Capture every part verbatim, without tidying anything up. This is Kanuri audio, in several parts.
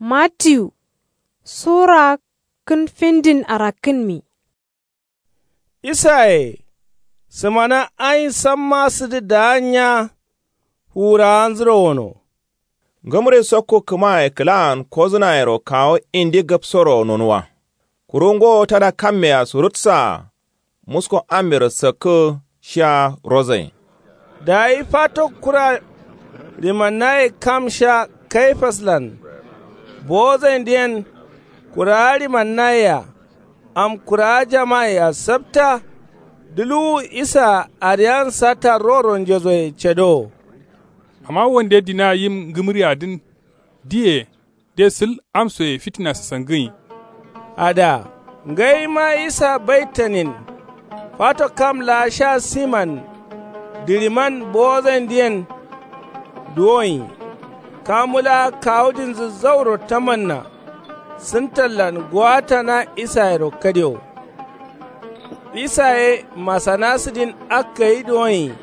Mattiyu sura kǝn findin arakkǝnmi. Isaye sǝmana ayin samma sǝdǝ daanya. Fuwurawanzuro wono. Ngǝmri sokku kǝmaye kǝlaan kozǝnayero kawu indi gabsoro nonuwa. Kuru ngowo tada kammea surutsaa musko ammero sakkǝ. Shiya rozain. Dayi fato kura rimannaye kam sha kaifaslan bowozaindǝ yen. Kurawa rimannayea am kurawa jama'ayea sapta. Duluwu isaa ariyan satta roro njezoye cedowo. Amma wande dina yim ngǝmǝriadǝn diye de sǝl amsoye fitina sasangǝnyi. Ada ngaima isa baitanin. Fato kam laa sha siman dǝriman bowozaindǝ yen duwonyi. Kamu laa kawudinzǝ zauro tamanna. Sǝntallan gowatana isayero kadewo. Isa ye masana sǝdin akkayi duwonyi.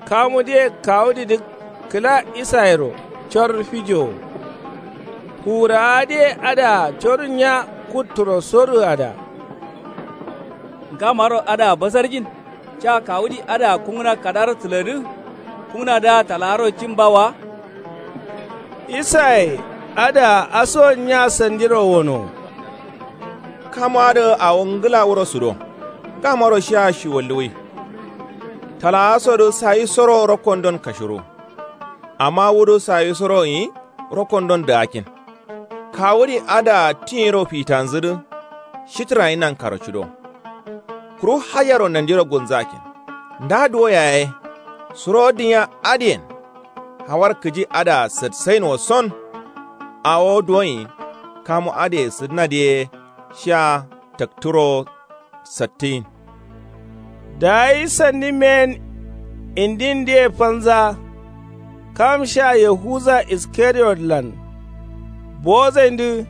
Kamudǝye kawudidǝ kǝla isayero cor fijowo. Fuwurawawodǝye adǝa corǝnya kutturo sorǝada. Ngamaro adǝa basarjin ca kawudi adǝa kungǝna kadaro tǝladǝ. Kungǝnadǝa talagaro cin ba wa. Isaye adǝa asuwon nya sandiro wono. Kamuadǝ awo ngǝla wuro sudo. Ngamaro shiya shiwalluwui. Talagasodǝ sayisoro rokkondon kashiru. Amma wudǝ sayisoro nyi rokkondon dǝgakkin. Kawudi adǝa tiyiro fitanzǝdǝ shitǝrayi nankaro cudo. Kuru hajaro nandiro gulnzakkin. Nda duwo yaye suro dǝnya adǝyen. Hawar kǝji adǝa satsainwo son. Awo duwonyi kamu adǝye sǝdǝnadǝ ye shiya takturo sattǝyin. Dayi sandi meyen indindǝye fanza. Kam sha yahuza iskariyotlan bowozaindǝ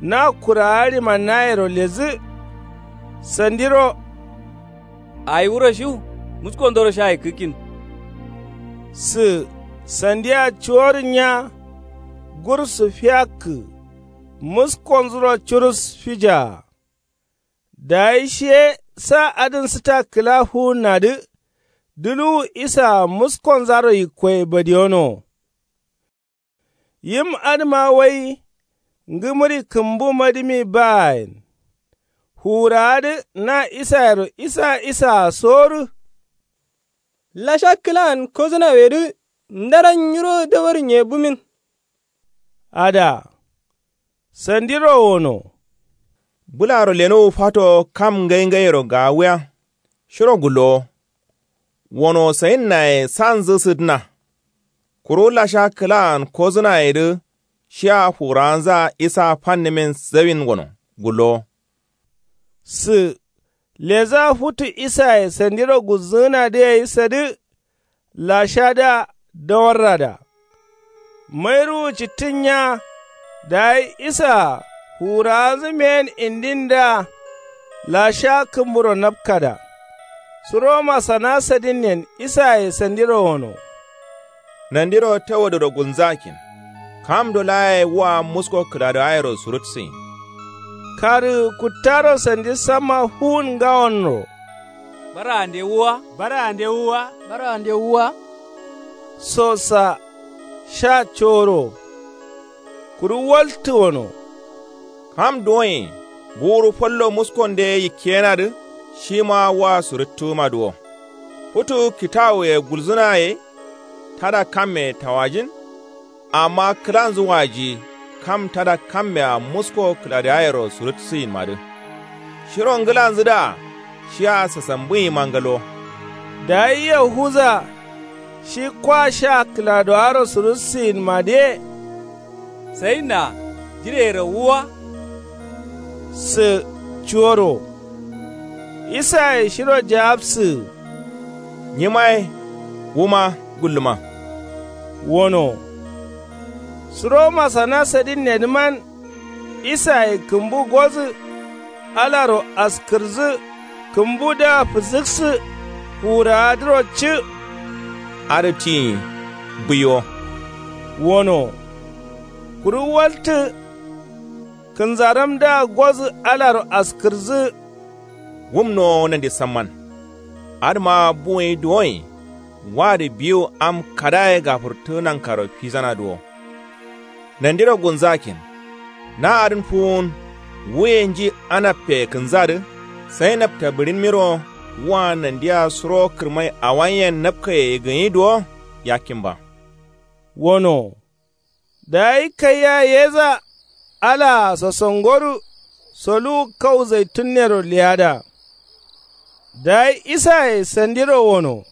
na kurawa rimannayero lezǝ. Sandiro ayi wuro shiw muskondoro sha ikkǝkkin. Sǝ sandia cuworǝnya gursu fiyakkǝ. Muskonzuro curus fijaa. Dayi shi ye sa adǝn sǝta kǝla fuwunnadǝ. Duluwu isaa muskonzaro yikkoye badiyonowo. Yim adǝma wai ngǝmǝri kǝmbu madǝmi baayen. Fuwurawadǝ na isayero isa isaa sorǝ. Lasha kǝlaan kozǝnawedǝ ndaran nyiro dawar nye bumin. Ada sandiro wono. Bǝlaro lenowu fato kam ngai ngaiyero gaawuya. Shiro gullowo. Wono sayinnaye sanzǝ sǝdǝna. Kuru lasha kǝlaan kozǝnayedǝ shiya fuwurawanzaa isa fannumin zawin wono gullowo. Sǝ leza futu isaye sandiro gulzǝgǝnadǝ gai sadǝ. Lashadǝa dawarrada. Mairuwu cittǝnnya. Dayi isaa fuwurawanzǝ meyen indindǝa lasha kǝmburo napkada. Suro masana sadinnen isaye sandiro wono. Nandiro tawadǝro gulnzakkin. Kamdo laa yayi wua musko kǝladawayero surutsǝyin. Karǝgǝ kuttaro sandi samma fuwun ngawonro. Baraande wuwa. Baraande wuwa. Baraande wuwa. Sosa sha coro. Kuru waltǝ wono. Kam duwonye nguru fallo muskonde yikkeyenadǝ. Shima wa surǝttǝgǝma duwo. Futu kitawuye gulzǝnaye tada kamme tawajin. Amma kǝlanzǝ waji kam tada kammea musko kǝladǝgayero surǝtsǝyinmadǝ. Shiro ngǝlanzǝdǝa shiya sasambǝnyima ngalo. Dayi yahuza shi kwa sha kǝladǝgaro surǝtsǝyinmadǝye. Sayinna jireyero wuwa. Sǝ cuworo. Isaye shiro jawabsǝ. Nyimaye wuma gulluma. Wono. Suro masana sadinnedǝman. Isaye kǝmbu gozǝ. Alaro askǝrjǝ. Kǝmbudǝa fǝsǝksǝ. Fuwurawadǝro cǝ. Adǝ tiyin buiwo. Wono. Kuru waltǝ. Kǝnzaramdǝa gozǝ alaro askǝrǝzǝ. Wumnowo nandi samman. Adǝma buwuyi duwoyin. Wadǝ biwu am kadaye gafǝrtǝ nankaro fizanadǝ wo. Nandiro gunzakkin. Na adǝn fuwun. Wuye nji anabkeye kǝnzadǝ. Sai nabta bǝɍinmiro. Wa nandia suro kǝrmai awanyen nabkeye gǝnyidǝ wo. Yakkin ba. Wono. Dayi kaiya yeza. Alaa sosongodu. Soluwu kau zaitunnero leyada. Dayi isaye sandiro wono.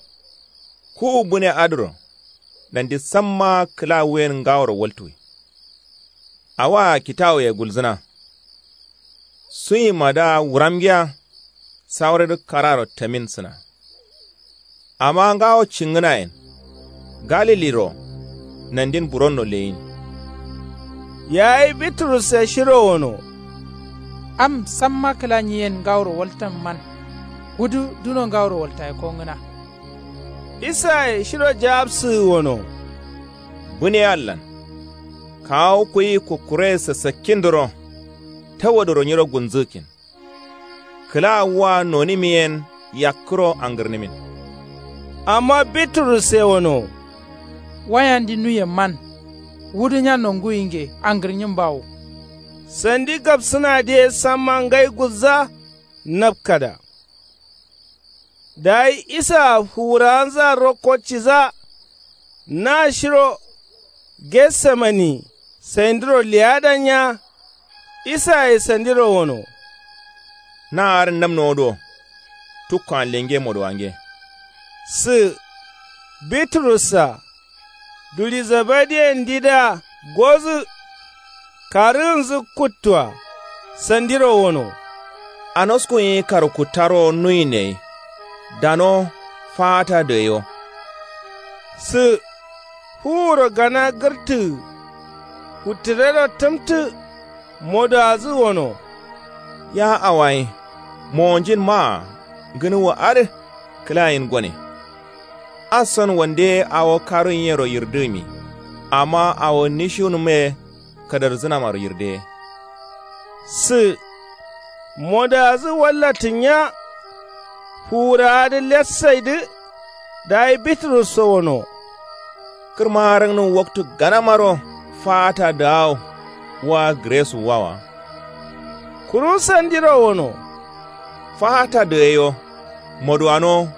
Kuwu bǝne adǝro. Nandi samma kǝla wuyen ngaworo waltuwi. Awaa kitawuye gulzǝna. Suyimadǝa wuramgiya. Saurǝdǝ kararo tamin sǝna. Amma ngawo cingǝnayen. Galiliro. Nandin buronno leyin. Yayi biturusse shiro wono. Am samma kǝla nyiyen ngaworo waltamman. Wudu duno ngaworo waltaye kongǝna. Isaye shiro jawabsǝ wono. Bǝne allan. Kawu kuyi kukkure sassakkindǝro. Tawadoro nyiro gunzǝgǝkkin. Kǝla wa nonimiyen yakkǝro angǝrnimin. Amma biturusse wono. Wayandi nuye man. Wudu nya nonguwinge angǝrnyin bawo. Sandi gabsǝnadǝye samma ngai gulza. Napkada. Dayi isaa fuwurawanzǝa rokko ciza. Na shiro getsemani. Saindiro leyada nya. Isaye sandiro wono. Na adǝn namnowo do. Tukkoan lenge modowange. Sǝ. Biturussa. Duli zebediyendidǝa gozǝ. Karǝgǝnzǝ kuttua. Sandiro wono. Anoskun ye karkuttaro nuyin ye. Dano. Faata dǝ ye wo. Sǝ. Fuwuro gana gǝrtǝgǝ. Futtǝrero tǝmtǝ. Modowadǝ wono. Ya awayi. Mowonjin maa. Ngǝnuwwa adǝ. Kǝlayin gone. Asson wande awo karunyinyero yirdǝgǝmi. Amma awo nishiwunǝmme. Kadarzǝnamaro yirdǝye. Sǝ. Modowadǝ wallatǝnya. Fuwurawadǝ letsaidǝ. Dayi biturusso wono. Kǝrma rǝngǝnǝm waktu ganamaro. Faata dǝ awo. Wa gǝresuwwa wa. Kuru sandiro wono. Faata dǝ ye yo. Moduwano.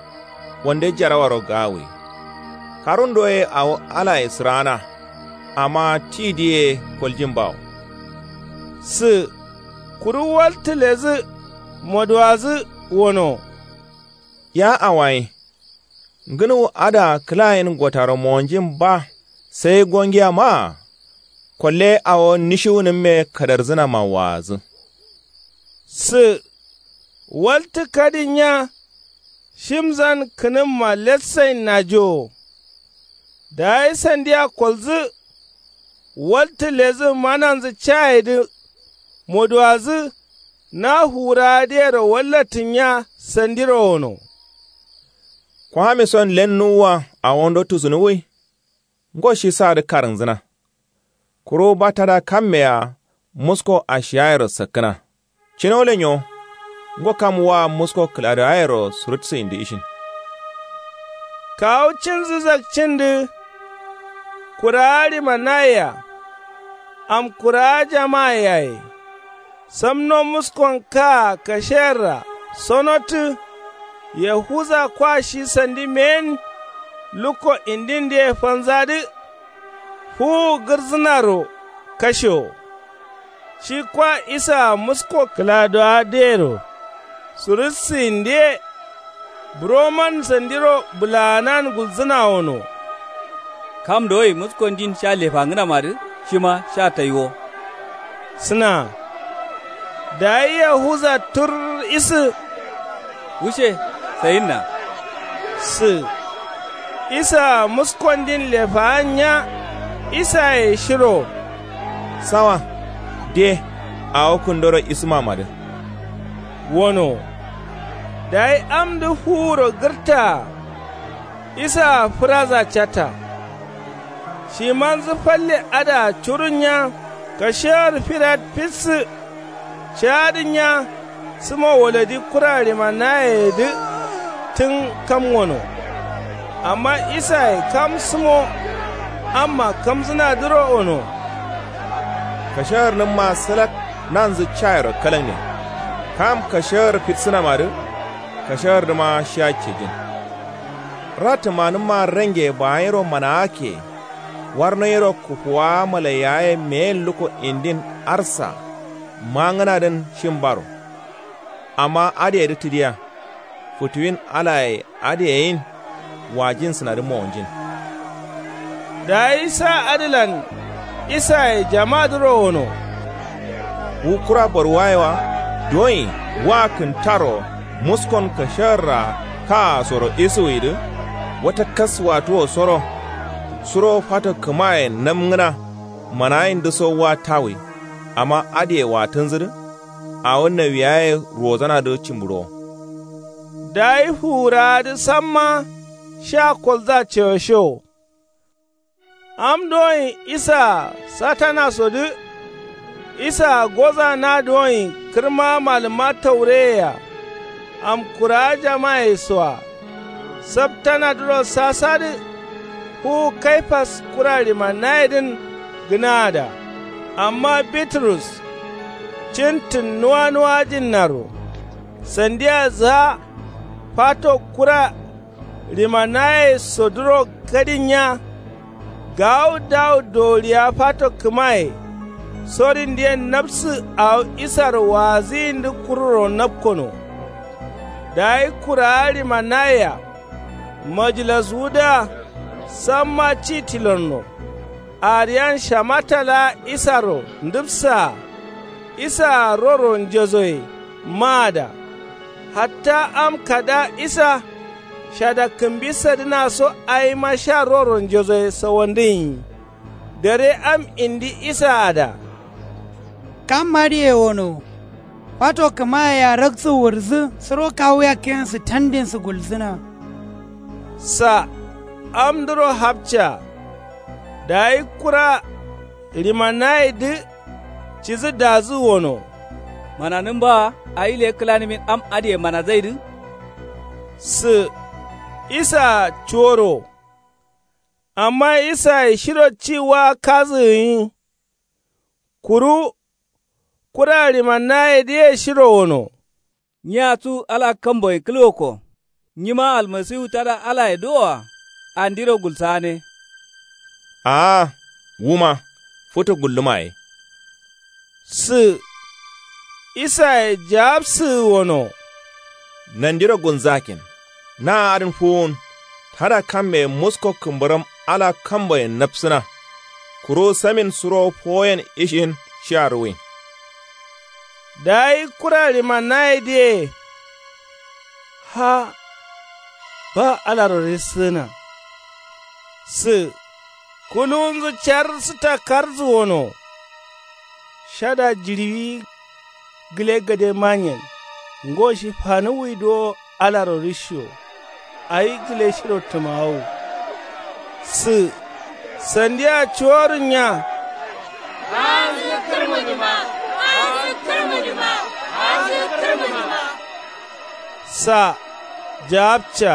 Wande jarawaro gawuwi. Karundo ye awo alaye sǝraana. Amma tidǝ ye koljin bawo. Sǝ. Kuru waltǝ lezǝ. Moduwadǝ wono. Ya awayi. Ngǝnuwu adǝa kǝlayen gotaro mowonjin ba. Sai gongiya maa. Kolle awo nishiwunǝmme kadarzǝnama waadǝ. Sǝ. Waltǝ kadinya. Shimzan kǝnǝmma letsain najowo. Dayi sandiya koldǝ. Waltǝ ledǝ mananzǝ cayedǝ. Moduwadǝ. Na fuwurawadǝyero wallatǝnya sandiro wono. Kwamison lennuwwa awondo tusunuwwi. Ngo shi sadǝ karǝnzǝna. Kuru batada kammeyea musko ashiyayero sakkǝna. Cino lenyo. Ngo kam wa musko kǝladǝgayero surutsu indi ishin. Kawu cinzǝ zakcindǝ. Kurawa ɍimanayea. Am kurawa jama'a yaye. Samno muskon kaa kasheyerra sonotǝ. Yahuza kwa shi sandi meyen. Lukko indindǝye fanzadǝ. Fuwu gǝrzǝnaro kashewo. Shi kwa isaa musko kǝladowadǝyero. Surussǝyindǝye. Buroman sandiro bǝlaanan gulzǝna wono. Kam dowoi muskondin sha lefangǝnamadǝ shima sha taiwo. Sǝna. Dayi yahuza tur isǝ. Wushe. Sayinna. Sǝ. Isaa muskondin lefaan nya. Isaye shiro. Sawa. De. Awo kǝndoro isǝmamadǝ. Wono. Dayi amdǝ fuwuro gǝrtaa. Isaa fǝraza catta. Shimanzǝ falle adǝa curun nya. Kashewar firat fissǝ. Ca'adǝnya. Sǝmo wolodi kura rimanayeyedǝ tǝn kam wono. Amma isaye kam sǝmo amma kamzǝnadǝro wono. Kashagǝrnǝmma salak nanzǝ cayero kalakne. Kam kashagǝr fiksǝnamadǝ kashagǝrdǝma shiya cejin. Ratǝmanǝmma range baanyiro manaakke. Warnoyiro kufuwaa malaiyawaye meyen lukko indin arsa. Mangǝnadǝn shin baro. Amma adǝyedǝ tǝdiya. Futuwin alaye adǝyeyin wajinsǝnadǝ mowonjin. Dayi sa adǝlan isaye jamadǝro wono. Wu kura borwaye wa. Duwonyi wa kǝntaro muskon kashagarra kaasoro isuwidǝ. Wata kas watuwo soro. Suro fato kǝmaye namngǝna. Manayindǝso wa tawi. Amma adǝye watǝnzǝdǝ. Awo nawiyaye ruwozanadǝ cimbǝɍuwo. Dayi fuwurawadǝ samma sha kolza cewoshewo. Am duwonyi isaa satanasodǝ. Isaa goza na duwonyi kǝrma malǝmma taureyea. Amkurawa jamayesoa. Saptanadǝro sasadǝ. Fuwu kaifas kura rimanayedǝn gǝnaada. Amma biturus cintǝn nuwanuwajinnaro. Sandiya zǝha fato kura rimanayesodǝro gadinya. Gawu dawu dowuriya fato kǝmaye. Sorindǝyen napsǝ awo isaro waazǝyindǝ kururo napkono. Dayi kurawa rimanayea majilaswudǝa. Samma ci tilonno. Ariyan shamata laa isaro ndǝpsaa. Isaa roro njezoye maada. Hatta am kada isa shada kǝmbi sadǝnaso awima sha roro njezoye sawandǝnyi. Dare am indi isaada. Kam adǝye wono. Fato kǝmayea raksu wǝrǝsǝ suro kawu yakkeyensu tandinsǝ gulsǝna. Sa amdǝro hapca. Dayi kura rimanayedǝ cidǝ dazǝ wono. Mananǝmba awi le kǝlanǝmin am adǝye manazaidǝ. Sǝ isaa cuworo. Amma isaye shiro ci wa kazǝ gǝnyi. Kuru kura rimanayedǝye shiro wono. Nyi atsu ala kamboyen kǝlgokko. Nyima almasiwu tada alaye duwoa. Andiro gulsagane. Aa wuma futu gulluma ye. Sǝ isaye jawabsǝgǝ wono. Nandiro gulnzakin. Na adǝn fuwun. Tada kamme musko kǝmbǝram ala kamboyen napsǝna. Kuru samin suro fowoyen ishin shiya ruwin. Dayi kura rimanayedǝye. Ha. Ba alaro rissǝgǝna. Sǝ kuluwunzǝ car sǝta karzǝ wono. Shada jiɍiwi gǝle gade manyen. Ngo shi fanuwwi duwo alaro rishiyo. Awi gǝle shiro tǝmawo. Sǝ sandiya cuworǝnya. Aazǝ kǝrmǝnima. Aazǝ kǝrmǝnima. Aazǝ kǝrmǝnima. Sa jawabca.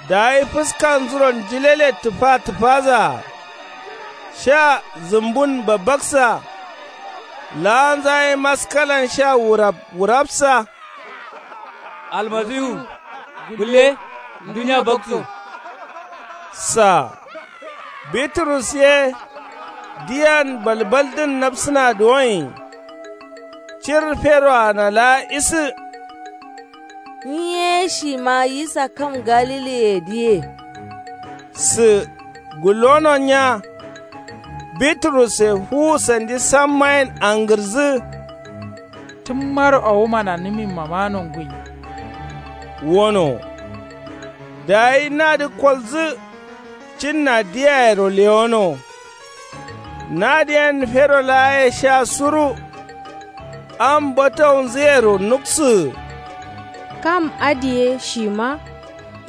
Dayi fǝskanzuro njǝlele tǝfa tǝfazaa. Sha zǝmbun babbaksa. Laanza ye maskalan sha wurap wurapsa. Almasiwu. Gulle. Ndunya bakso. Sa biturus ye. Diyan balbaldǝn napsǝna duwonyi. Cir feroana laa isǝ. Nyi ye shima yisa kam galiliyedǝye. Sǝ gullononya. Bituruse fuwu sandi sammayen angǝrzǝ. Tǝmmaro awo mananǝminmama nonguyi. Wono. Dayi nadǝ kolzǝ. Cinna diyayero lewono. Nadǝyen fero laaye sha suru. Am bataunzǝyero nuksǝgǝ. Kam adǝye shima.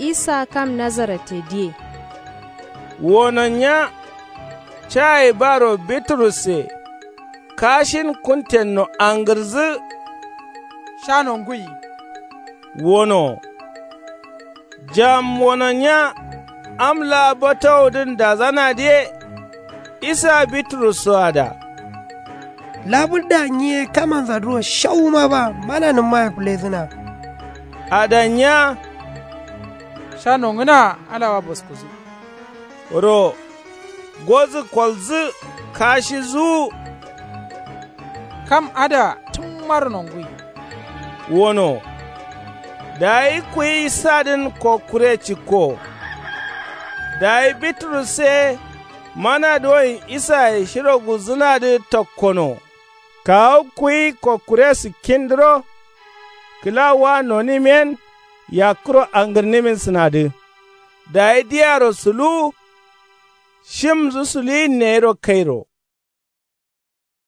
Isa kam nazaratedǝye. Wononya. Cayi baro biturusse. kashin kuntenno angǝrdǝ. Sha nonguyi wono. Jam wononya. Am laa batawudǝn dazanadǝ ye. Isa biturus so ada. Labǝrda nyi ye kamanza duro shawuma ba mananǝmma ye fǝlezǝna. Adanya. Sha nongǝna. Alawa boskuzǝ. Ro gozǝ kolzǝ. Kashi zuwu. Kam ada tǝmmaro nonguyi. Wono. Dayi kuyi sadǝn kokkure cikko. Dayi biturus ye mana doyin isaye shiro gulzǝnadǝ tokkono. Kawu kuyi kokkure sikkindǝro. Kǝla wa nonǝm yen yakkuro angǝrnǝmin sǝnadǝ. Dayi diyaro suluwu. Shimdǝ suluwin neyiro kairo.